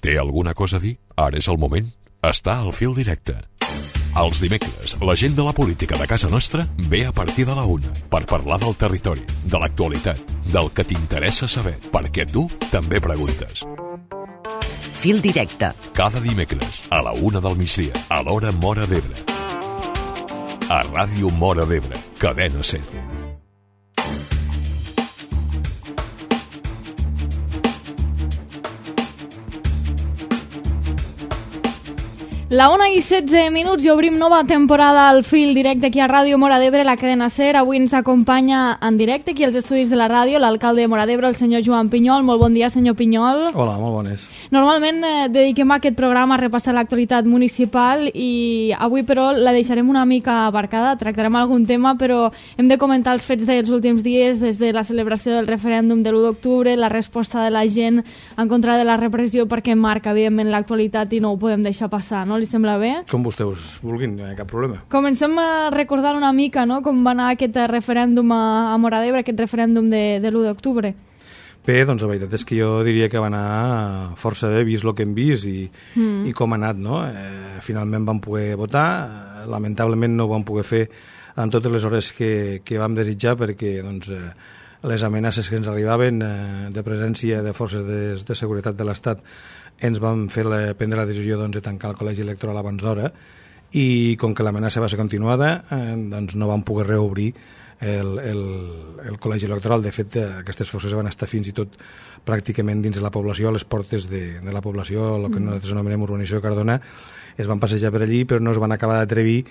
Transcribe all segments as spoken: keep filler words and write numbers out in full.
Té alguna cosa a dir? Ara és el moment. Està al fil directe. Els dimecres, la gent de la política de casa nostra ve a partir de la una per parlar del territori, de l'actualitat, del que t'interessa saber, perquè tu també preguntes. Fil directe. Cada dimecres, a la una del migdia, a l'hora Móra d'Ebre. A Ràdio Móra d'Ebre, Cadena Ser. La una i setze minuts i obrim nova temporada al fil directe aquí a Ràdio Móra d'Ebre, la cadena Ser. Avui ens acompanya en directe aquí als estudis de la ràdio l'alcalde de Móra d'Ebre, el senyor Joan Pinyol. Molt bon dia, senyor Pinyol. Hola, molt bones. Normalment eh, dediquem aquest programa a repassar l'actualitat municipal i avui, però, la deixarem una mica aparcada. Tractarem algun tema, però hem de comentar els fets dels últims dies, des de la celebració del referèndum de l'u d'octubre, la resposta de la gent en contra de la repressió, perquè marca, evidentment, l'actualitat i no ho podem deixar passar, no? Li sembla bé? Com vostès vulguin, no hi ha cap problema. Comencem a recordar una mica, no?, com va anar aquest referèndum a, a Móra d'Ebre, aquest referèndum de, de l'u d'octubre. Bé, doncs la veritat és que jo diria que va anar força bé, vist el que hem vist i, mm. i com ha anat, no? Eh, finalment vam poder votar, lamentablement no ho vam poder fer en totes les hores que, que vam desitjar perquè doncs, eh, les amenaces que ens arribaven eh, de presència de forces de, de seguretat de l'Estat ens van fer la, prendre la decisió doncs, de tancar el col·legi electoral abans d'hora i com que l'amenaça va ser continuada eh, doncs no vam poder reobrir el, el, el col·legi electoral. De fet, aquestes forces van estar fins i tot pràcticament dins de la població, a les portes de, de la població, el que nosaltres anomenem urbanització de Cardona, es van passejar per allí però no es van acabar d'atrevir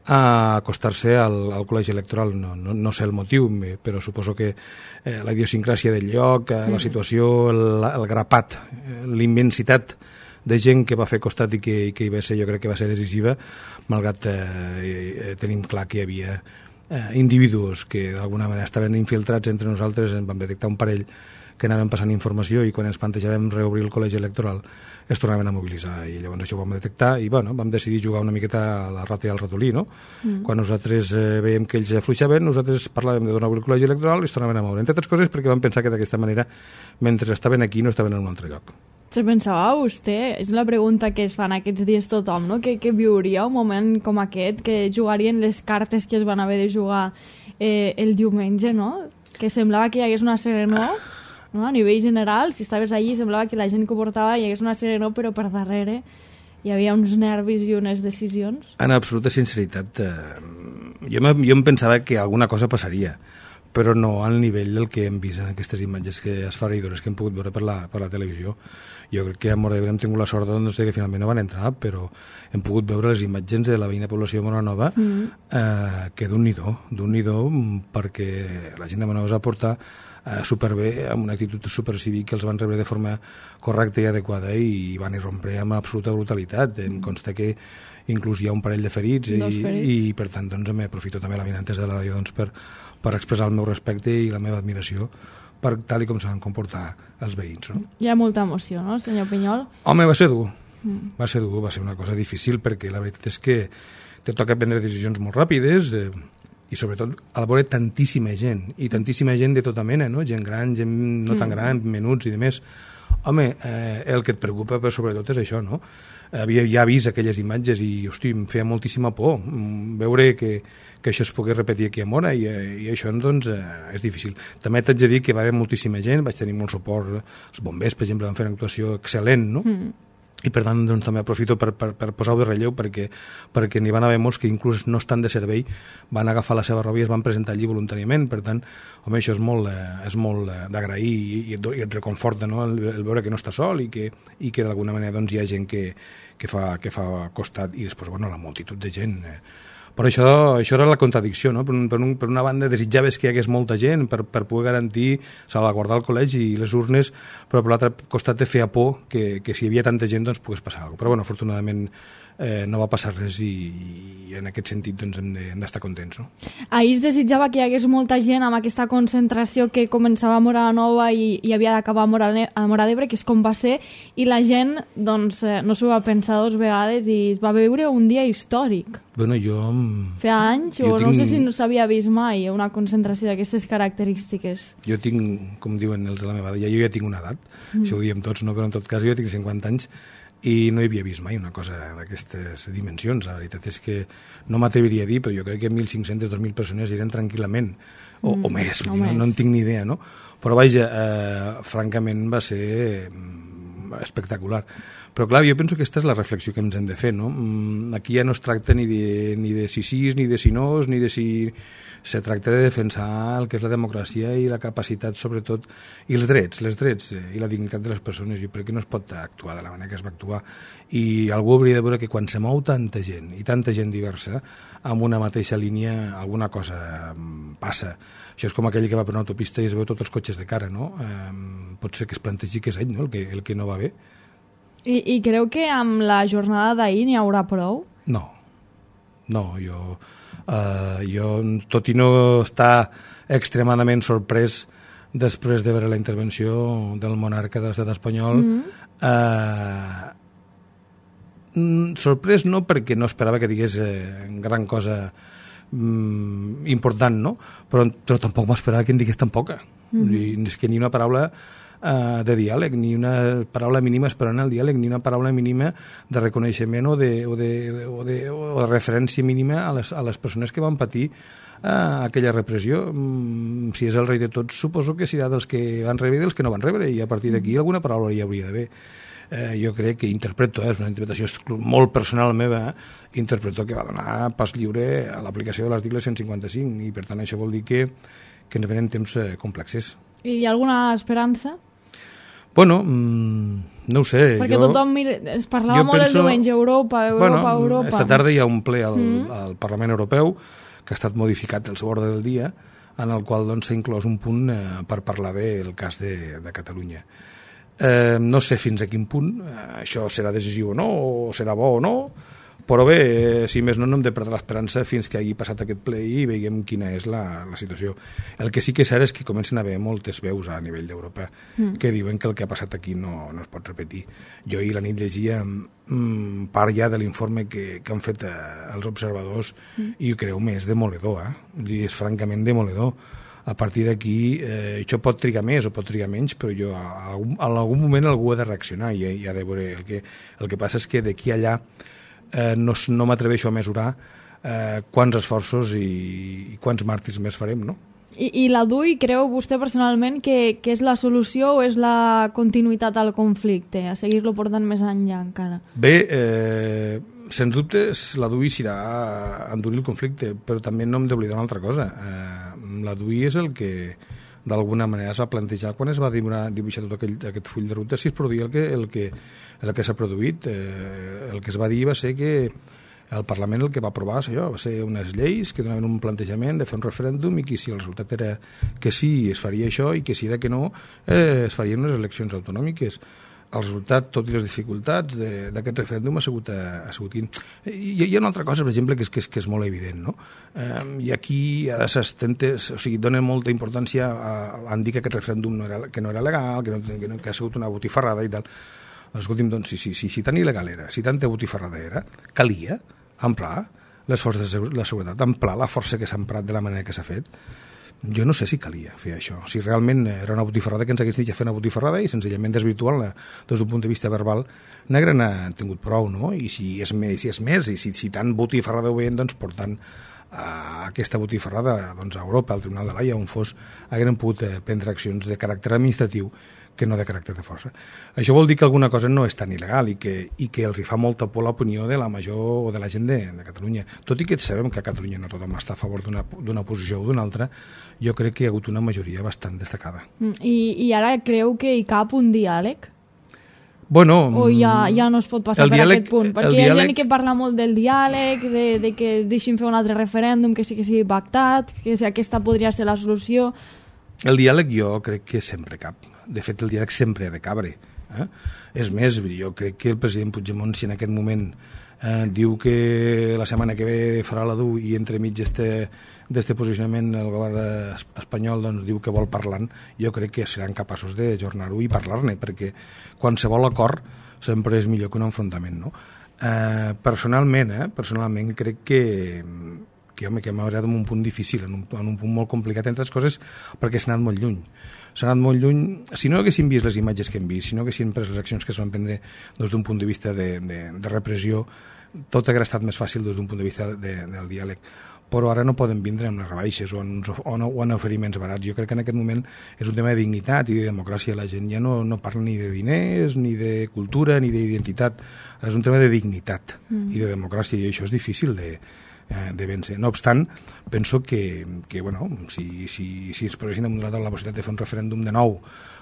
a acostar-se al, al col·legi electoral. No, no, no sé el motiu, però suposo que eh, la idiosincràsia del lloc, eh, la situació, el, el grapat, eh, l'immensitat de gent que va fer costat i que, i que hi va ser, jo crec que va ser decisiva, malgrat eh, eh, tenim clar que hi havia eh, individus que d'alguna manera estaven infiltrats entre nosaltres. En vam detectar un parell que anaven passant informació i quan ens plantejàvem reobrir el col·legi electoral es tornaven a mobilitzar i llavors això ho vam detectar i bueno, vam decidir jugar una miqueta a la rata i al ratolí, no? Mm. Quan nosaltres eh, veiem que ells afluixaven, nosaltres parlàvem de donar el col·legi electoral i es tornaven a moure, entre altres coses perquè vam pensar que d'aquesta manera, mentre estaven aquí, no estaven en un altre lloc. Se pensava vostè, és la pregunta que es fan aquests dies tothom, no? Que, que viuria un moment com aquest, que jugarien les cartes que es van haver de jugar eh, el diumenge, no? Que semblava que hi hagués una serenor, no? A nivell general, si estaves allí semblava que la gent que ho portava hi hagués una serenor, però per darrere hi havia uns nervis i unes decisions. En absoluta sinceritat, eh, jo, jo em pensava que alguna cosa passaria, però no al nivell del que hem vist en aquestes imatges que esfereïdores que hem pogut veure per la, per la televisió. Jo crec que a Móra d'Ebre hem tingut la sort doncs, que finalment no van entrar, però hem pogut veure les imatges de la veïna població de Móra Nova, mm. eh, que d'un nidó, d'un nidó, perquè la gent de Móra Nova es va portar eh, superbé, amb una actitud supercívica, que els van rebre de forma correcta i adequada i van irrompre amb absoluta brutalitat. Mm. Em consta que inclús hi ha un parell de ferits, i, ferits. i per tant doncs, m'aprofito també la vinantes de la ràdio doncs, per, per expressar el meu respecte i la meva admiració per tal i com s'han comportat els veïns. No? Hi ha molta emoció, no, senyor Pinyol? Home, va ser dur. Mm. Va ser dur, va ser una cosa difícil perquè la veritat és que te toca prendre decisions molt ràpides eh, i sobretot al veure tantíssima gent i tantíssima gent de tota mena, no? Gent gran, gent no tan gran, menuts i demés. Home, eh, el que et preocupa però sobretot és això, no? Havia ja vist aquelles imatges i, hosti, em feia moltíssima por veure que, que això es pogués repetir aquí a Móra i, i això, doncs, eh, és difícil. També t'haig de dir que va haver moltíssima gent, vaig tenir molt suport, els bombers, per exemple, van fer una actuació excel·lent, no? Mm. I per tant doncs, també aprofito per, per, per posar-ho de relleu perquè, perquè n'hi van haver molts que inclús no estan de servei, van agafar la seva roba i es van presentar allí voluntàriament. Per tant, home, això és molt, eh, és molt eh, d'agrair i, i, et, i et reconforta, no? el, el veure que no està sol i que, i que d'alguna manera doncs, hi ha gent que, que, fa, que fa costat i després bueno, la multitud de gent. Eh. Però això, això era la contradicció, no? Per, un, per, un, per una banda desitjaves que hi hagués molta gent per, per poder garantir, salvaguardar el col·legi i les urnes, però per l'altre costat te feia por que, que si hi havia tanta gent doncs pogués passar alguna cosa. Però bueno, afortunadament eh, no va passar res i, i en aquest sentit doncs, hem de, hem d'estar contents. No? Ahir es desitjava que hi hagués molta gent amb aquesta concentració que començava a Móra Nova i, i havia d'acabar a Móra d'Ebre, que és com va ser, i la gent doncs, eh, no s'ho va pensar dues vegades i es va veure un dia històric. Bueno, jo... Feia anys, jo o tinc... no sé si no s'havia vist mai una concentració d'aquestes característiques. Jo tinc, com diuen els de la meva edat, ja, jo ja tinc una edat, mm. això ho diem tots, no? Però en tot cas jo tinc cinquanta anys i no hi havia vist mai una cosa d'aquestes dimensions. La veritat és que no m'atreviria a dir, però jo crec que mil cinc-centes, dos mil persones eren tranquil·lament, o, mm, o més, o dir, més. No, no en tinc ni idea, no? Però vaja, eh, francament va ser espectacular. Però clar, jo penso que aquesta és la reflexió que ens hem de fer, no? Aquí ja no es tracta ni de, ni de si sís, ni de si nos, ni de si... Se tracta de defensar el que és la democràcia i la capacitat, sobretot, i els drets, les drets eh, i la dignitat de les persones. Jo crec que no es pot actuar de la manera que es va actuar. I algú hauria de veure que quan se mou tanta gent, i tanta gent diversa, amb una mateixa línia, alguna cosa passa. Això és com aquell que va per una autopista i es veu tots els cotxes de cara, no? Eh, pot ser que es plantegi que és ell, no?, el que, el que no va bé. I, I creu que amb la jornada d'ahir n'hi haurà prou? No, no, jo, uh, jo tot i no estar extremadament sorprès després de veure la intervenció del monarca de l'estat espanyol, mm-hmm. uh, sorprès no, perquè no esperava que digués eh, gran cosa mm, important, no? Però, però tampoc m'esperava que en digués tan poca. Mm-hmm. És que ni una paraula Uh, de diàleg, ni una paraula mínima esperant el diàleg, ni una paraula mínima de reconeixement o de, o de, o de, o de referència mínima a les, a les persones que van patir uh, aquella repressió. Mm, si és el rei de tots, suposo que serà dels que van rebre i dels que no van rebre, i a partir d'aquí alguna paraula hi hauria d'haver. Uh, jo crec que interpreto, eh, és una interpretació molt personal meva, eh, interpreto que va donar pas lliure a l'aplicació de l'article cent cinquanta-cinc, i per tant això vol dir que, que ens venen temps eh, complexes. I hi ha alguna esperança? Bueno, mmm, no ho sé. Perquè jo, tothom mira, es parlava molt penso, el diumenge Europa, Europa, bueno, Europa. Esta tarda hi ha un ple al, mm. al Parlament Europeu que ha estat modificat el seu ordre del dia, en el qual doncs, s'ha inclòs un punt eh, per parlar del cas de, de Catalunya. Eh, no sé fins a quin punt eh, això serà decisiu o no, o serà bo o no, però bé, eh, si més no, no hem de perdre l'esperança fins que hagi passat aquest ple i veiem quina és la, la situació. El que sí que és cert és que comencen a haver moltes veus a nivell d'Europa mm. que diuen que el que ha passat aquí no, no es pot repetir. Jo ahir la nit llegia mm, part ja de l'informe que, que han fet eh, els observadors mm. i ho creu més demoledor, eh? I és francament demoledor. A partir d'aquí, eh, això pot trigar més o pot trigar menys, però jo a, a, a algun moment algú ha de reaccionar i, i ha de veure. El que, el que passa és que d'aquí allà Eh, no, no m'atreveixo a mesurar eh, quants esforços i, i quants màrtirs més farem, no? I, i la D U I creu vostè personalment que, que és la solució o és la continuïtat al conflicte, a seguir-lo portant més enllà encara? Bé, eh, sens dubtes la D U I serà endurir el conflicte, però també no hem d'oblidar una altra cosa. Eh, la D U I és el que d'alguna manera es va plantejar quan es va dibuixar tot aquell, aquest full de ruta, si es produïa el que, el que, el que s'ha produït. Eh, el que es va dir va ser que el Parlament el que va aprovar això, va ser unes lleis que donaven un plantejament de fer un referèndum i que si el resultat era que sí es faria això i que si era que no eh, es farien unes eleccions autonòmiques. El resultat, tot i les dificultats d'aquest referèndum ha sigut... Ha sigut I hi ha una altra cosa, per exemple, que és, que és, que és molt evident, no? Eh, I aquí ara s'estenta, o sigui, donen molta importància a, a dir que aquest referèndum no era, que no era legal, que, no, que, no, que ha sigut una botifarrada i tal. Escolti'm, doncs, si, si, si, si tan il·legal era, si tanta botifarrada era, calia emprar les forces de la seguretat, emprar la força que s'ha emprat de la manera que s'ha fet. Jo no sé si calia fer això, si realment era una botifarrada que ens hagués dit ja fer una botifarrada i senzillament desvirtuant-la des d'un punt de vista verbal negre n'ha tingut prou, no? I si és més, si és més i si, si tant botifarrada ho veien, doncs portant a aquesta botifarrada doncs, a Europa, al Tribunal de l'Haia, on fos, hagueren pogut eh, prendre accions de caràcter administratiu que no de caràcter de força. Això vol dir que alguna cosa no és tan il·legal i que, i que els hi fa molta por l'opinió de la major o de la gent de, de Catalunya. Tot i que sabem que a Catalunya no tothom està a favor d'una posició o d'una altra, jo crec que hi ha hagut una majoria bastant destacada. I, i ara creu que hi cap un diàleg? Bueno, o ja, ja no es pot passar per diàleg, aquest punt? Perquè hi ha diàleg... gent que parla molt del diàleg, de, de que deixin fer un altre referèndum, que sí que sigui pactat, que aquesta podria ser la solució. El diàleg jo crec que sempre cap. De fet, el diàleg sempre ha de cabre. Eh? És més, jo crec que el president Puigdemont, si en aquest moment eh, diu que la setmana que ve farà la D U i entremig d'este posicionament el govern espanyol doncs, diu que vol parlar, jo crec que seran capaços d'ajornar-ho i parlar-ne, perquè qualsevol acord sempre és millor que un enfrontament, no? Eh, personalment, eh, personalment crec que que, home, que m'ha agradat en un punt difícil, en un, en un punt molt complicat, entre altres coses, perquè s'ha anat molt lluny. S'ha anat molt lluny. Si no haguéssim vist les imatges que hem vist, si no haguéssim pres les accions que es van prendre des d'un punt de vista de, de, de repressió, tot hauria estat més fàcil des d'un punt de vista de, del diàleg. Però ara no poden vindre amb les rebaixes o en, o, en, o en oferiments barats. Jo crec que en aquest moment és un tema de dignitat i de democràcia. La gent ja no, no parla ni de diners, ni de cultura, ni d'identitat. És un tema de dignitat mm. i de democràcia, i això és difícil de, de vèncer. No obstant, penso que, que bueno, si, si, si ens posessin damunt de la taula la possibilitat de fer un referèndum de nou,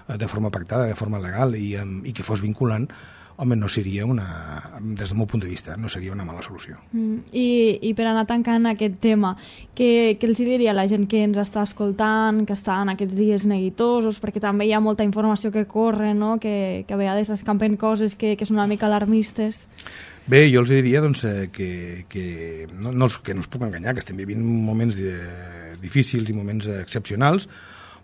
de forma pactada, de forma legal, i, i que fos vinculant, home, no seria una, des del meu punt de vista, no seria una mala solució. Mm, i, I per anar tancant aquest tema, què, què els diria a la gent que ens està escoltant, que està en aquests dies neguitosos, perquè també hi ha molta informació que corre, no? que, que a vegades escampen coses que, que són una mica alarmistes? Bé, jo els diria doncs, que, que, no, no els, que no els puc enganyar, que estem vivint moments de, difícils i moments excepcionals,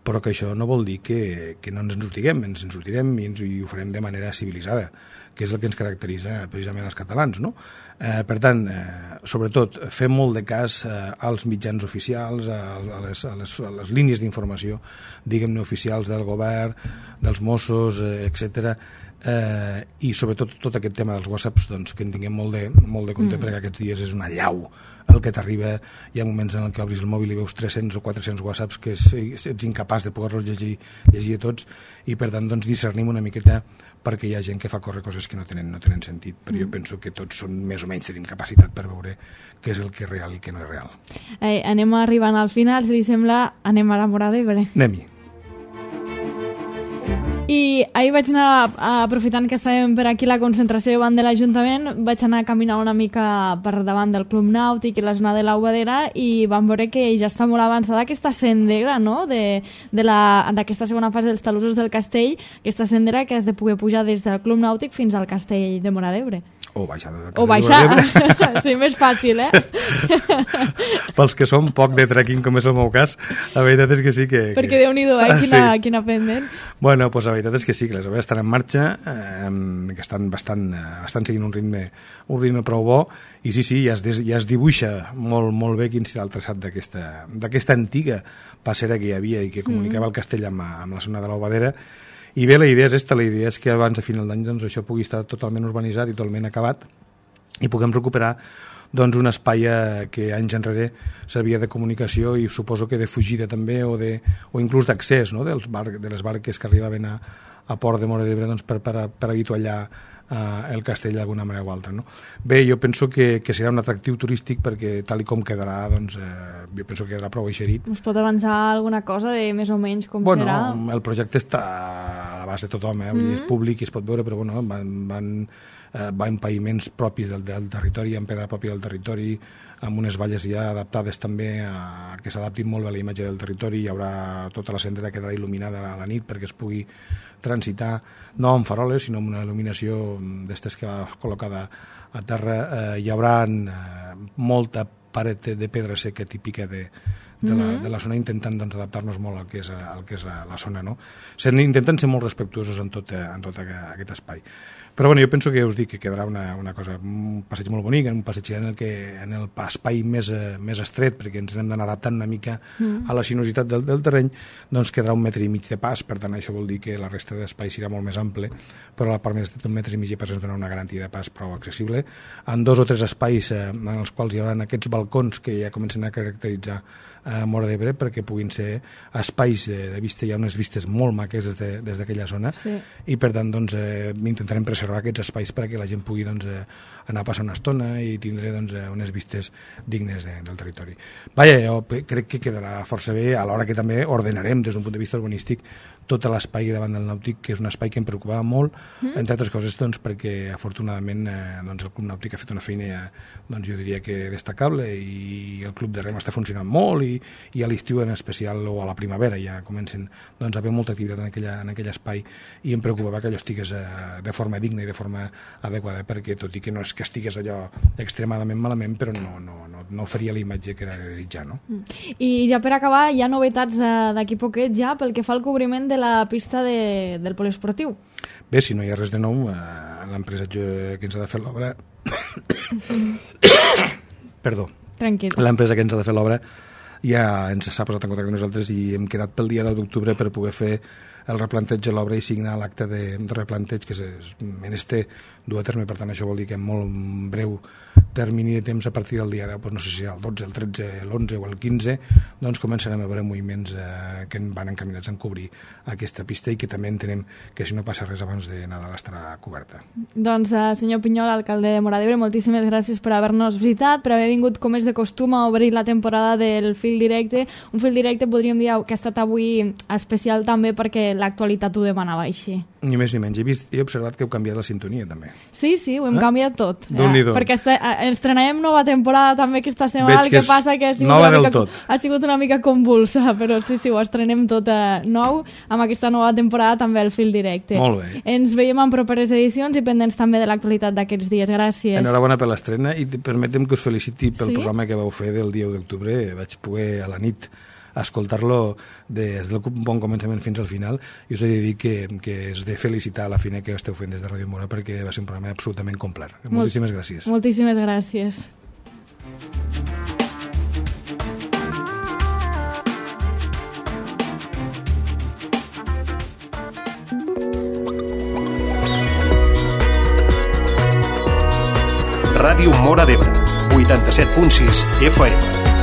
però que això no vol dir que, que no ens en sortirem, ens en sortirem i, ens, i ho farem de manera civilitzada, que és el que ens caracteritza precisament els catalans, no? Eh, per tant, eh, sobretot, fer molt de cas eh, als mitjans oficials, a, a, les, a, les, a les línies d'informació, diguem-ne, oficials del govern, dels Mossos, eh, etcètera, eh, i sobretot tot aquest tema dels whatsapps, doncs, que en tinguem molt de, molt de compte, mm. perquè aquests dies és una llau el que t'arriba. Hi ha moments en què obris el mòbil i veus tres-cents o quatre-cents whatsapps que és, ets incapaç de poder-los llegir, llegir tots, i per tant doncs, discernim una miqueta, perquè hi ha gent que fa córrer coses que no tenen, no tenen sentit, però mm. jo penso que tots són més o menys tenim capacitat per veure què és el que és real i què no és real. Eh, anem arribant al final, si li sembla, anem a la Móra d'Ebre. Anem-hi. I ahir vaig anar, aprofitant que estàvem per aquí la concentració davant de l'Ajuntament, vaig anar a caminar una mica per davant del Club Nàutic i la zona de l'Aubadera, i vam veure que ja està molt avançada aquesta sendera, no?, de, de la, d'aquesta segona fase dels talussos del castell, aquesta sendera que has de poder pujar des del Club Nàutic fins al castell de Móra d'Ebre. O baixar de, o baixar, sí, més fàcil, eh? Pels que som poc de trekking, com és el meu cas, la veritat és que sí que... que... Perquè Déu-n'hi-do, eh? Quina, sí. quina pendent. Bueno, doncs la veritat és que sí, que les obres estan en marxa, eh, que estan bastant, eh, estan seguint un ritme, un ritme prou bo, i sí, sí, ja es, des, ja es dibuixa molt, molt bé quin serà el traçat d'aquesta, d'aquesta antiga passera que hi havia i que comunicava mm. el castell amb, amb la zona de l'Aubadera. I bé, la idea és esta, la idea és que abans de final d'any doncs, això pugui estar totalment urbanitzat i totalment acabat i puguem recuperar doncs, un espai que anys enrere servia de comunicació i suposo que de fugida també o, de, o inclús d'accés, no? Dels bar, de les barques que arribaven a, a Port de Móra d'Ebre doncs, per, per, per avituallar Uh, el castell d'alguna manera o altra, no? Bé, jo penso que, que serà un atractiu turístic perquè tal i com quedarà, doncs, eh, jo penso que quedarà prou eixerit. Us pot avançar alguna cosa de més o menys com bueno, serà? Bueno, el projecte està a l'abast de tothom, eh? Mm-hmm. És públic i es pot veure, però bueno, van, van, eh, van paviments propis del, del territori, amb pedra pròpia del territori, amb unes valles ja adaptades també a, que s'adaptin molt a la imatge del territori. Hi haurà tota la sendera que quedarà il·luminada a la nit perquè es pugui transitar, no amb faroles, sinó amb una il·luminació d'estes que va col·locada a terra. Eh, hi haurà eh, molta paret de pedra seca típica de, de, la, de la zona, intentant doncs, adaptar-nos molt al que és, al que és la, la zona, no? Intenten ser molt respectuosos en tot, en tot aquest espai. Però bueno, jo penso que us dic que quedarà una, una cosa, un passeig molt bonic, un passeig en el que en el espai més, més estret, perquè ens hem d'anar adaptant una mica mm. a la sinuositat del, del terreny, doncs quedarà un metre i mig de pas, per tant això vol dir que la resta d'espai serà molt més ample, però a la part més estreta un metre i mig de pas ens dona una garantia de pas prou accessible. En dos o tres espais eh, en els quals hi haurà aquests balcons que ja comencen a caracteritzar a eh, Móra d'Ebre, perquè puguin ser espais de, de vista, hi ha unes vistes molt maques des, de, des d'aquella zona, sí. I per tant doncs, eh, intentarem preservar aquests espais perquè la gent pugui doncs, eh, anar a passar una estona i tindre doncs, eh, unes vistes dignes de, del territori. Vaja, jo crec que quedarà força bé, alhora que també ordenarem des d'un punt de vista urbanístic tot l'espai davant del Nàutic, que és un espai que em preocupava molt, mm. entre altres coses doncs, perquè afortunadament eh, doncs, el Club Nàutic ha fet una feina, doncs, jo diria que destacable, i el Club de Rem està funcionant molt, i, i a l'estiu en especial o a la primavera ja comencen doncs, a haver molta activitat en, aquella, en aquell espai, i em preocupava que allò estigués eh, de forma digna i de forma adequada, perquè tot i que no és que estigués allò extremadament malament, però no, no, no, no faria la imatge que era de desitjar, no? Mm. I ja per acabar, hi ha novetats d'aquí poquet ja pel que fa al cobriment de la pista de, del poliesportiu. Bé, si no hi ha res de nou, eh, l'empresa que ens ha de fer l'obra perdó, Tranquil. l'empresa que ens ha de fer l'obra ja ens s'ha posat en contacte amb nosaltres i hem quedat pel dia deu d'octubre per poder fer el replanteig de l'obra i signar l'acte de, de replanteig que és menester dur a terme. Per tant, això vol dir que en molt breu termini de temps, a partir del dia deu, doncs no sé si el dotze, el tretze, l'onze o el quinze, doncs començarem a veure moviments eh, que van encaminats a cobrir aquesta pista i que també entenem que si no passa res abans de Nadal estarà coberta. Doncs, uh, senyor Pinyol, alcalde de Móra d'Ebre, moltíssimes gràcies per haver-nos visitat, per haver vingut, com és de costum, a obrir la temporada del Fil Directe. Un Fil Directe, podríem dir, que ha estat avui especial també perquè l'actualitat ho demanava així. Ni més ni menys. He vist, he observat que heu canviat la sintonia, també. Sí, sí, ho hem eh? canviat tot. Déu-n'hi-do. Eh? Perquè este, estrenarem nova temporada també aquesta setmana. Veig el que, que passa que ha sigut, una mica, ha sigut una mica convulsa, però sí, sí, ho estrenem tot eh, nou amb aquesta nova temporada també al Fil Directe. Molt bé. Ens veiem en properes edicions i pendents també de l'actualitat d'aquests dies. Gràcies. Enhorabona per l'estrena i permetem que us feliciti pel sí? programa que vau fer del dia u d'octubre. Vaig poder a la nit escoltar-lo des del bon començament fins al final i us he de dir que, que és de felicitar la feina que esteu fent des de Ràdio Móra perquè va ser un programa absolutament complet. Moltíssimes Molt, gràcies. Moltíssimes gràcies. Ràdio Móra d'Ebre, vuitanta-set punt sis F M.